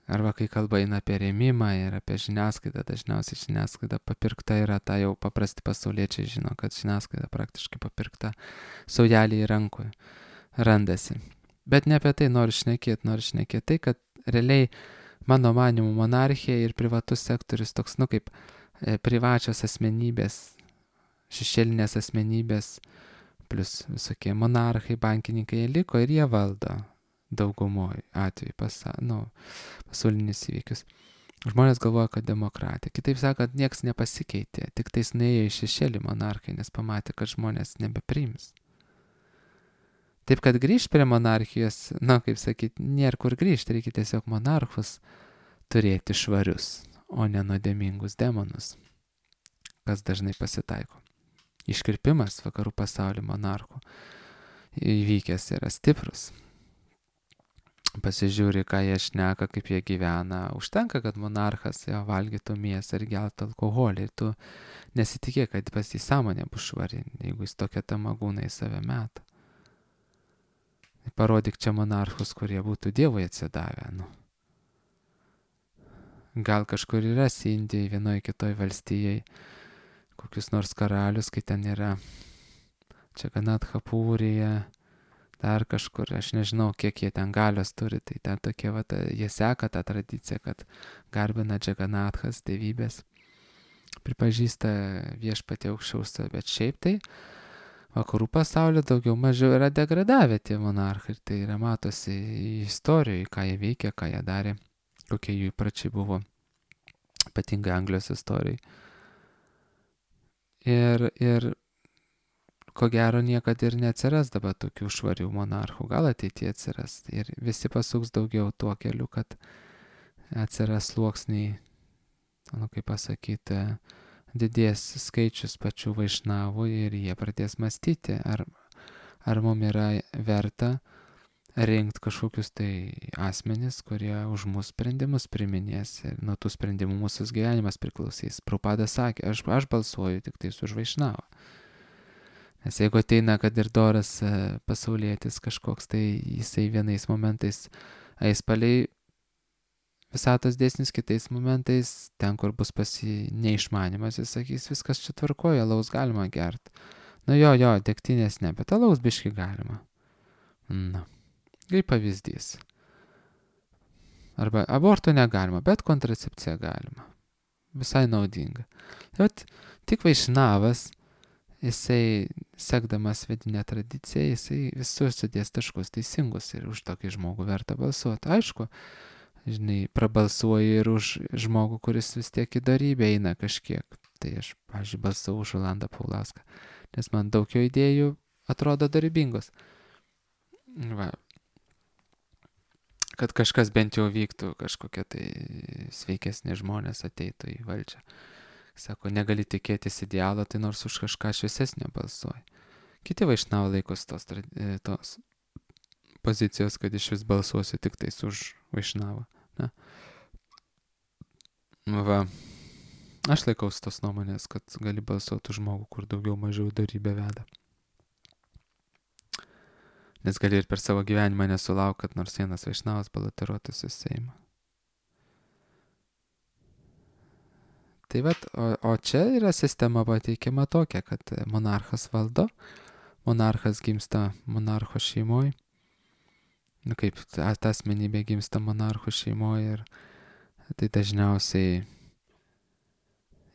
Arba kai kalba eina apie rėmimą ir apie žiniasklaidą, dažniausiai žiniasklaida papirkta yra, tą jau paprasti pasauliečiai žino, kad žiniasklaida praktiškai papirkta, saujelį į rankų randasi. Bet ne apie tai noriu šnekėti tai, kad realiai mano manymu monarchija ir privatus sektorius toks, kaip privačios asmenybės, šešėlinės asmenybės, plus visokie monarchai, bankininkai, jie liko ir jie valdo. Daugumoje atveju pasaulinius įvykius. Žmonės galvoja, kad demokratija. Kitaip sakant, nieks nepasikeitė, tik tais nuėjo į šešėlį monarchai, nes pamatė, kad žmonės nebepriims. Taip, kad grįžti prie monarchijos, kaip sakyti, nėra kur grįžti, reikia tiesiog monarchus turėti švarius, o ne nuodėmingus demonus, kas dažnai pasitaiko. Iškirpimas vakarų pasaulio monarchų įvykęs yra stiprus. Pasižiūri, ką jie šneka, kaip jie gyvena. Užtenka, kad monarchas valgytų mėsą ir geltų alkoholį. Ir tu nesitikėk, kad pas jį sąmonė bus švari, jeigu jis tokia tamagūna į save meta. Parodyk čia monarchus, kurie būtų Dievui atsidavę. Gal kažkur yra Indijai, vienoje kitoje valstijai, kokius nors karalius, kai ten yra Čaganatapūrija, dar kažkur, aš nežinau, kiek jie ten galios turi, tai ten tokie, jie seka tą tradiciją, kad garbina Džaganathas, dievybės, pripažįsta viešpatį aukščiausią, bet šiaip tai vakarų pasaulio daugiau mažiau yra degradavę tie monarchai, tai yra matosi istorijoje, ką jie veikia, ką jie darė, kokie jų įpračiai buvo, ypatingai Anglijos istorijai. Ir ko gero niekad ir neatsiras dabar tokių švarių monarchų, gal ateityje atsiras. Ir visi pasuks daugiau tuo keliu, kad atsiras sluoksniai, kaip pasakyti, didės skaičius pačių vaišnavų ir jie pradės mąstyti, ar mums yra verta rinkti kažkokius tai asmenis, kurie už mūsų sprendimus priminės ir nuo tų sprendimų mūsų gyvenimas priklausys. Prabhupada sakė, aš balsuoju tik tais už vaišnavą. Nes jeigu ateina, kad ir doras pasaulietis kažkoks, tai jisai vienais momentais eis palei visatos dėsnis, kitais momentais, ten, kur bus neišmanimas, jis sakys, viskas čia tvarkoja, alaus galima gerti. Nu jo, degtinės ne, bet alaus biški galima. Na, kaip pavyzdys. Arba aborto negalima, bet kontracepcija galima. Visai naudinga. Bet tik Vaišnavas, jisai, sekdamas vidinę tradiciją, jisai visur sudės taškus teisingus ir už tokį žmogų verta balsuoti. Aišku, žinai, prabalsuoju ir už žmogų, kuris vis tiek į darybę eina kažkiek. Tai aš, pavyzdžiui, balsavau už Rolandą Paulauską, nes man daug jo idėjų atrodo darybingos. Va. Kad kažkas bent jau vyktų, kažkokie tai sveikesni žmonės ateitų į valdžią. Sako, negali tikėtis idealo, tai nors už kažką šviesesnio balsuoji. Kiti Vaišnavai laikos tos pozicijos, kad iš vis balsuosiu tik tais už Vaišnavą. Na. Va. Aš laikausi tos nuomonės, kad gali balsuoti už žmogų, kur daugiau mažiau darybę veda. Nes gali ir per savo gyvenimą nesulauk, kad nors vienas Vaišnavas balotiruotųsi į Seimą. Tai vat, o čia yra sistema pateikiama tokia, kad monarchas valdo, monarchas gimsta monarcho šeimoje, nu kaip ta asmenybė gimsta monarcho šeimoje ir tai dažniausiai,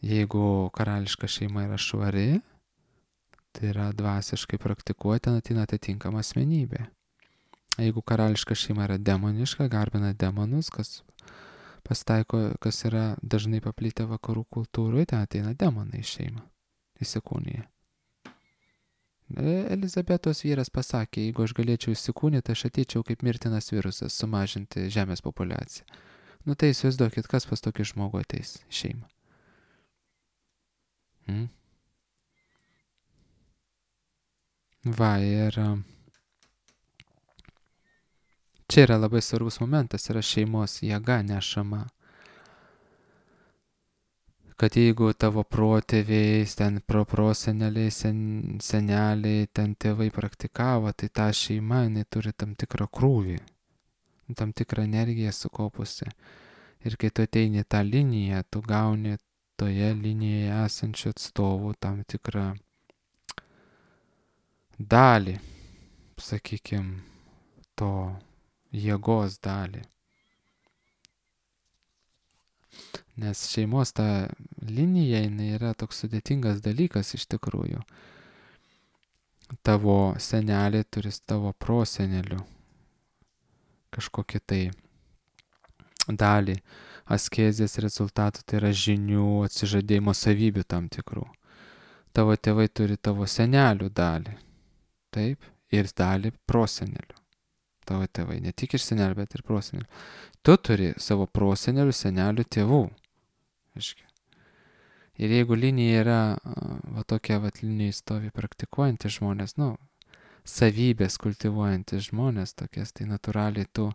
jeigu karališka šeima yra švari, tai yra dvasiškai praktikuoti, ateina atitinkama asmenybė. Jeigu karališka šeima yra demoniška, garbina demonus, kas pasitaiko, kas yra dažnai paplitę vakarų kultūroje, ten ateina demonai į šeimą, įsikūnyje. Elizabetos vyras pasakė, jeigu aš galėčiau įsikūnyti, aš ateičiau kaip mirtinas virusas sumažinti žemės populiaciją. Nu tai įsivaizduokit, kas pas tokį žmogų ateis į šeimą. Va, ir čia yra labai svarbus momentas, yra šeimos jėga nešama. Kad jeigu tavo protėviai, ten proseneliai, seneliai, ten tėvai praktikavo, tai ta šeima, jinai turi tam tikrą krūvį, tam tikrą energiją sukaupusi. Ir kai tu ateini tą liniją, tu gauni toje linijoje esančių atstovų tam tikrą dalį, sakykime, to jėgos dalį. Nes šeimos ta linija, jinai yra toks sudėtingas dalykas iš tikrųjų. Tavo senelė turi tavo prosenelių kažkokį tai dalį askezės rezultatų, tai yra žinių, atsižadėjimo savybių tam tikrų. Tavo tėvai turi tavo senelių dalį. Taip, ir dalį prosenelių. Tavo tėvai, ne tik iš senelių, bet ir prosenelių. Tu turi savo prosenelių, senelių, tėvų. Ir jeigu linija yra, va tokia va linija stovi praktikuojantys žmonės, savybės kultivuojantys žmonės tokias, tai natūraliai tu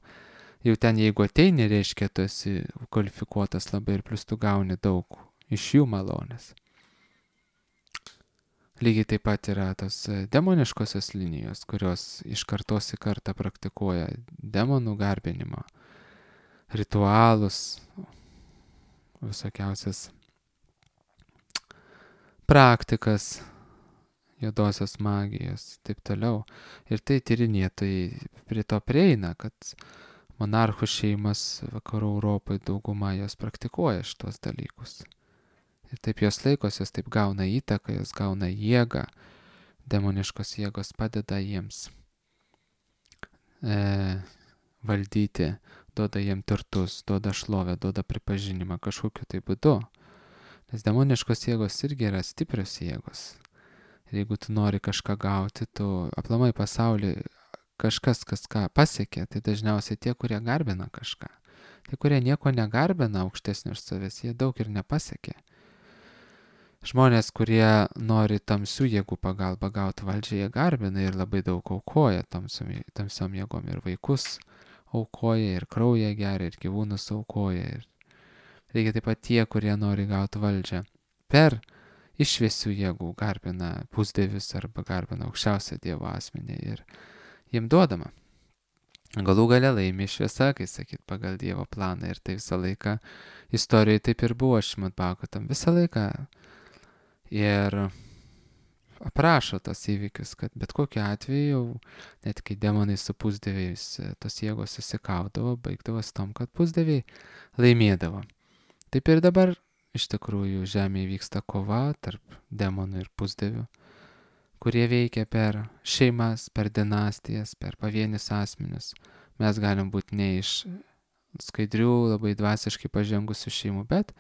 jau ten, jeigu ateini, reiškia, tu esi kvalifikuotas labai ir plus tu gauni daug iš jų malonės. Lygiai taip pat yra tos demoniškosios linijos, kurios iš kartos į kartą praktikuoja demonų garbinimą, ritualus, visokiausias praktikas, juodosios magijos, taip toliau. Ir tai tyrinėtojai prie to prieina, kad monarchų šeimas vakarų Europoje dauguma jos praktikuoja šitos dalykus. Ir taip jos laikos, jos taip gauna įtaką, jos gauna jėgą, demoniškos jėgos padeda jiems valdyti, duoda jiem turtus, duoda šlovę, duoda pripažinimą kažkokiu tai būdu. Nes demoniškos jėgos irgi yra stiprios jėgos. Ir jeigu tu nori kažką gauti, tu aplamai pasaulį kažkas, kas ką pasiekė, tai dažniausiai tie, kurie garbina kažką. Tie, kurie nieko negarbina aukštesnio už savęs, jie daug ir nepasiekė. Žmonės, kurie nori tamsių jėgų pagalbą gauti valdžią, jie garbina ir labai daug aukoja tamsiom jėgom. Ir vaikus aukoja, ir kraują geria, ir gyvūnus aukoja. Ir reikia taip pat tie, kurie nori gauti valdžią per iš šviesių jėgų garbina pusdievius arba garbina aukščiausią Dievo asmenį ir jiem duodama. Galų gale laimi šviesa, kai sakyt, pagal Dievo planą ir tai visą laiką istorijoje taip ir buvo Šrimad Bhagavatam visą laiką. Ir aprašo tos įvykius, kad bet kokiu atveju, net kai demonai su pusdieviais tos jėgos susikaudavo, baigdavosi tom, kad pusdieviai laimėdavo. Taip ir dabar iš tikrųjų žemėje vyksta kova tarp demonų ir pusdievių, kurie veikia per šeimas, per dinastijas, per pavienius asmenius. Mes galim būti ne iš skaidrių, labai dvasiškai pažengusių šeimų, bet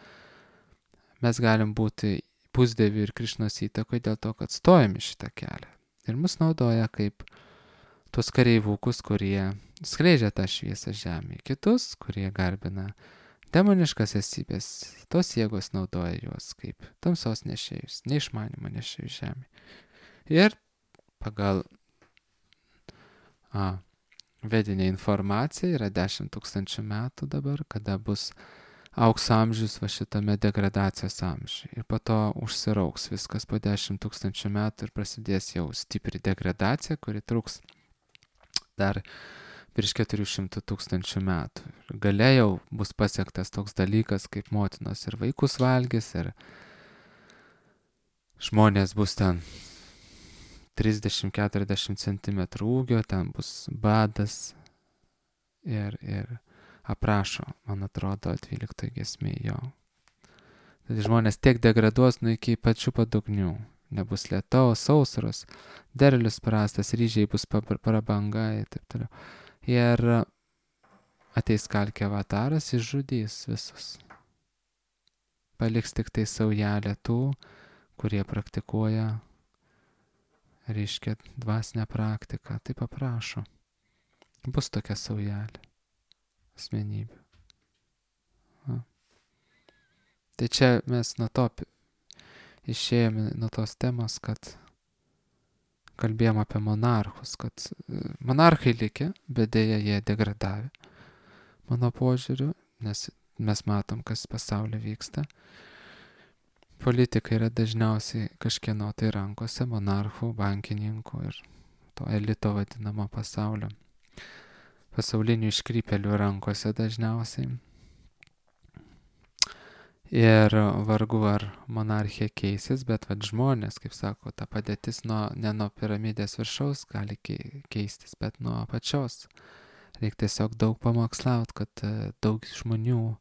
mes galim būti pusdievių ir Krišnos įtakoje dėl to, kad stojame šitą kelią. Ir mus naudoja kaip tuos kareivukus, kurie skleidžia tą šviesą žemėje. Kitus, kurie garbina demoniškas esybės, tos jėgos naudoja juos kaip tamsos nešėjus, neišmanimo nešėjus žemėje. Ir pagal vedinė informacija yra 10 000 metų dabar, kada bus aukso amžius va šitame degradacijos amžiuje. Ir po to užsirauks viskas po 10 000 metų ir prasidės jau stipri degradacija, kuri truks dar virš 400 000 metų. Ir gale jau bus pasiektas toks dalykas, kaip motinos ir vaikus valgys, ir žmonės bus ten 30-40 cm ūgio, ten bus badas ir aprašo, man atrodo, 12 giesmėje jo. Tai žmonės tiek degraduos iki pačių padugnių. Nebus lietaus, sausros, derlius prastas, ryžiai bus prabanga ir taip toliau. Ir ateis kalkė avataras, išžudys visus. Paliks tik tai saujelę tų, kurie praktikuoja, reiškia, dvasinę praktiką. Taip aprašo. Bus tokia saujelė asmenybė. Tai čia mes nuo to išėjome nuo tos temos, kad kalbėjom apie monarchus, kad monarchai likę, bet dėja jie degradavę. Mano požiūriu, nes mes matom, kas pasaulyje vyksta. Politika yra dažniausiai kažkieno tai rankose, monarchų, bankininkų ir to elito vadinamo pasaulio. Pasaulinių iškrypėlių rankose dažniausiai. Ir vargu ar monarchija keisis, bet žmonės, kaip sako, ta padėtis ne nuo piramidės viršaus gali keistis, bet nuo apačios. Reikia tiesiog daug pamokslauti, kad daug žmonių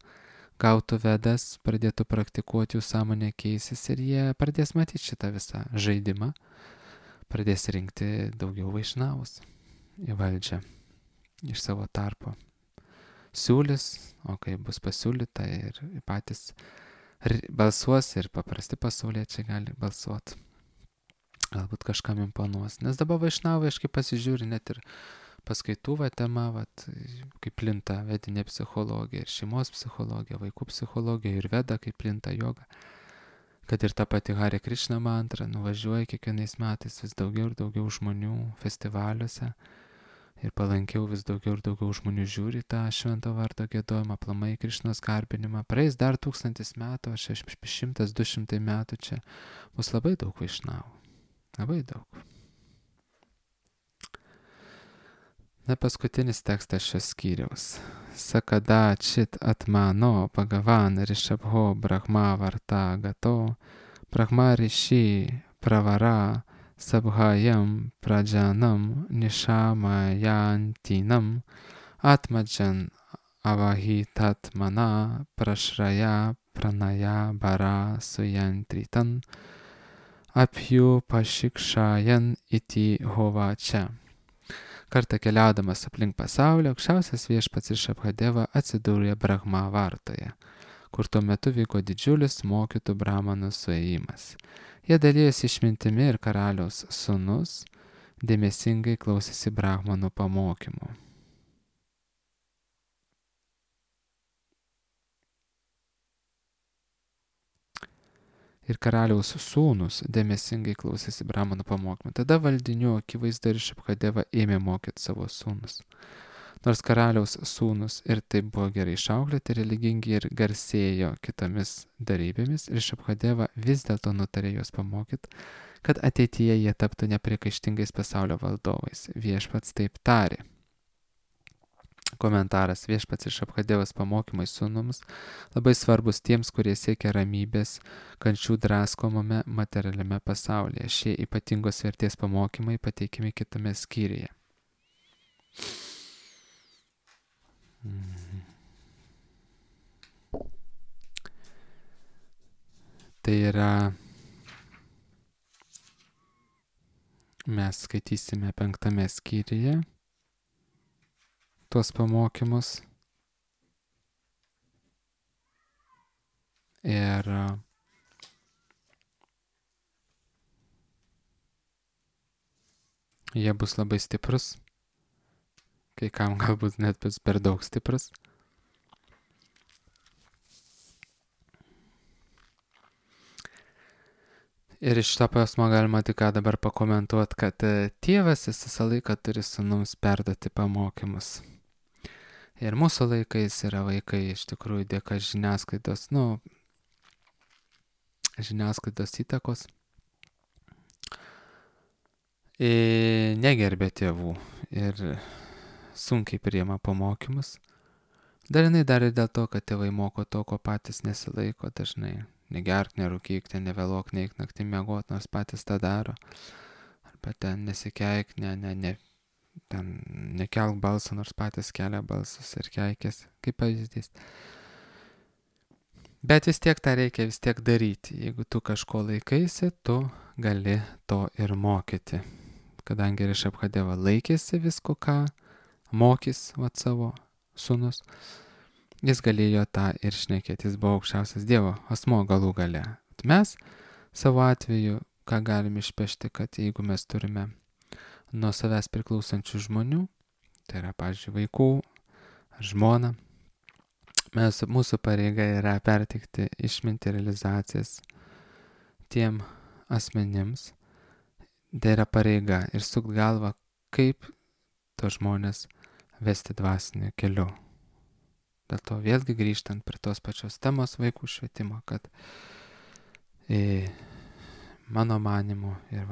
gautų vedas, pradėtų praktikuoti, jų sąmonė keisis ir jie pradės matyti šitą visą žaidimą, pradės rinkti daugiau vaišnavus į valdžią iš savo tarpo. Siūlys, o kai bus pasiūlyta ir patys balsuos ir paprasti pasauliečiai gali balsuoti. Galbūt kažkam imponuos. Nes dabar vaišnavai, aš kaip pasižiūri, net ir paskaitų tema, kaip plinta vedinė psichologija ir šeimos psichologija, vaikų psichologija ir veda, kaip plinta joga. Kad ir ta pati Hare Krishna mantra nuvažiuoja kiekvienais metais vis daugiau ir daugiau žmonių festivaliuose. Ir palankiau vis daugiau ir daugiau žmonių žiūri tą švento vardo giedojimą, aplamai Krišnos garbinimą. Praeis dar 1000 metų, 100-200 metų čia bus labai daug vaišnavų. Labai daug. Na, paskutinis tekstas šios skyriaus. Sakada čit atmano pagavan rishabho brahma varta gato, brahma rishi pravara sabhayam prajanam nishamayantinam atmajan avahitatmana prashraya pranaya bara suyantritan apju pašikšajan iti hovačia. Kartą keliaudamas aplink pasaulį, aukščiausias viešpats Rišabhadeva atsidūrė Brahma vartoje, kur tuo metu vyko didžiulis mokytų brahmanų suėjimas. Jie dalyjosi išmintimi ir karaliaus sūnus dėmesingai klausėsi brahmanų pamokymų. Ir karaliaus sūnus dėmesingai klausėsi brahmanų pamokymų. Tada valdinių akivaizdu Rišabhadeva ėmė mokyti savo sūnus. Nors karaliaus sūnus ir taip buvo gerai išauklėti, religingi ir garsėjo kitomis darybėmis, ir Šabhadeva vis dėlto nutarė juos pamokyti, kad ateityje jie taptų nepriekaištingais pasaulio valdovais. Viešpats taip tarė. Komentaras: viešpats ir Šabhadevos pamokymai sūnums labai svarbus tiems, kurie siekia ramybės kančių draskomame materialiame pasaulyje. Šie ypatingos vertės pamokymai pateikiami kitame skyriuje. Tai yra, mes skaitysime 5 skyriuje tuos pamokymus. Ir jie bus labai stiprus, kai kam galbūt net bus per daug stiprus. Ir iš to pasmo galima tik ką dabar pakomentuoti, kad tėvas visą laiką turi sūnums perduoti pamokymus. Ir mūsų laikais yra vaikai iš tikrųjų dėka žiniasklaidos, žiniasklaidos įtakos, negerbė tėvų ir sunkiai priima pamokymus. Dalinai dar ir dėl to, kad tėvai moko to, ko patys nesilaiko dažnai. Negerk, nerūkyk, ten nevėluok, neik naktį miegot, nors patys tą daro. Arba ten nesikeik, ten nekelk balsą, nors patys kelia balsus ir keikės, kaip pavyzdys. Bet vis tiek tą reikia vis tiek daryti. Jeigu tu kažko laikaisi, tu gali to ir mokyti. Kadangi ir Šabhadeva laikėsi visko, ką mokys savo sūnus, jis galėjo tą ir šnekėti, jis buvo aukščiausias Dievo asmo galų gale. Mes savo atveju, ką galim išpešti, kad jeigu mes turime nuo savęs priklausančių žmonių, tai yra, pavyzdžiui, vaikų ar žmona, mūsų pareiga yra perteikti išmintį realizacijas tiem asmenims. Tai yra pareiga ir sukt galvą, kaip to žmonės vesti dvasiniu keliu. Dėl to vėlgi grįžtant prie tos pačios temos vaikų švietimo, kad mano manimu ir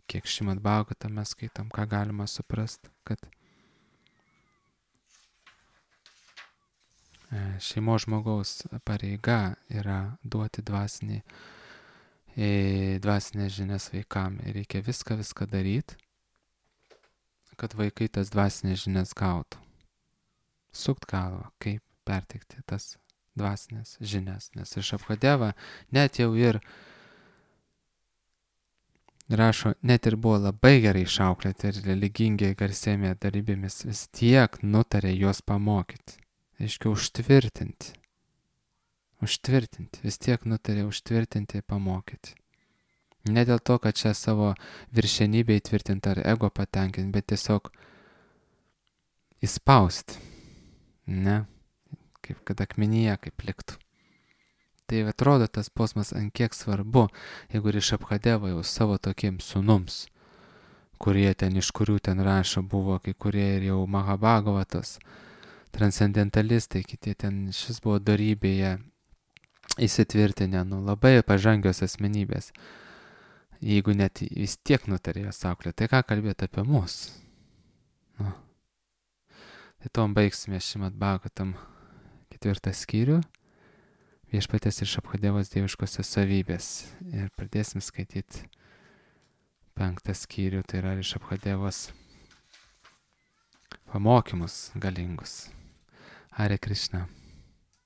kiek Šrimad Bhagavatą mes skaitom, ką galima suprast, kad šeimos žmogaus pareiga yra duoti dvasinės žinias vaikam ir reikia viską daryti, kad vaikai tas dvasinės žinias gautų. Sukt galvą, kaip perteikti tas dvasinės žinias, nes ir Šabhadeva net jau ir rašo, net ir buvo labai gerai išauklėti ir religingiai garsėmė darybėmis, vis tiek nutarė juos pamokyti. Aiškiai, užtvirtinti, vis tiek nutarė užtvirtinti ir pamokyti. Ne dėl to, kad čia savo viršenybę įtvirtinti ar ego patenkinti, bet tiesiog įspausti. Ne, kaip kad akmenyje, kaip liktų. Tai atrodo tas posmas ant kiek svarbu, jeigu ir Šabhadeva jau savo tokiems sūnums, kurie ten, iš kurių ten rašo, buvo kai kurie ir jau Mahabhagavatos, transcendentalistai, kiti ten šis buvo dorybėje įsitvirtinę, labai pažangios asmenybės. Jeigu net vis tiek nutarė jas auklėti, tai ką kalbėti apie mus? Tai tom baigsime Šrimad Bhagavatam 4 skyrių, viešpaties ir Šabhadevos dieviškosios savybės. Ir pradėsim skaityti 5 skyrių, tai yra Šabhadevos pamokymus galingus. Hare Krishna.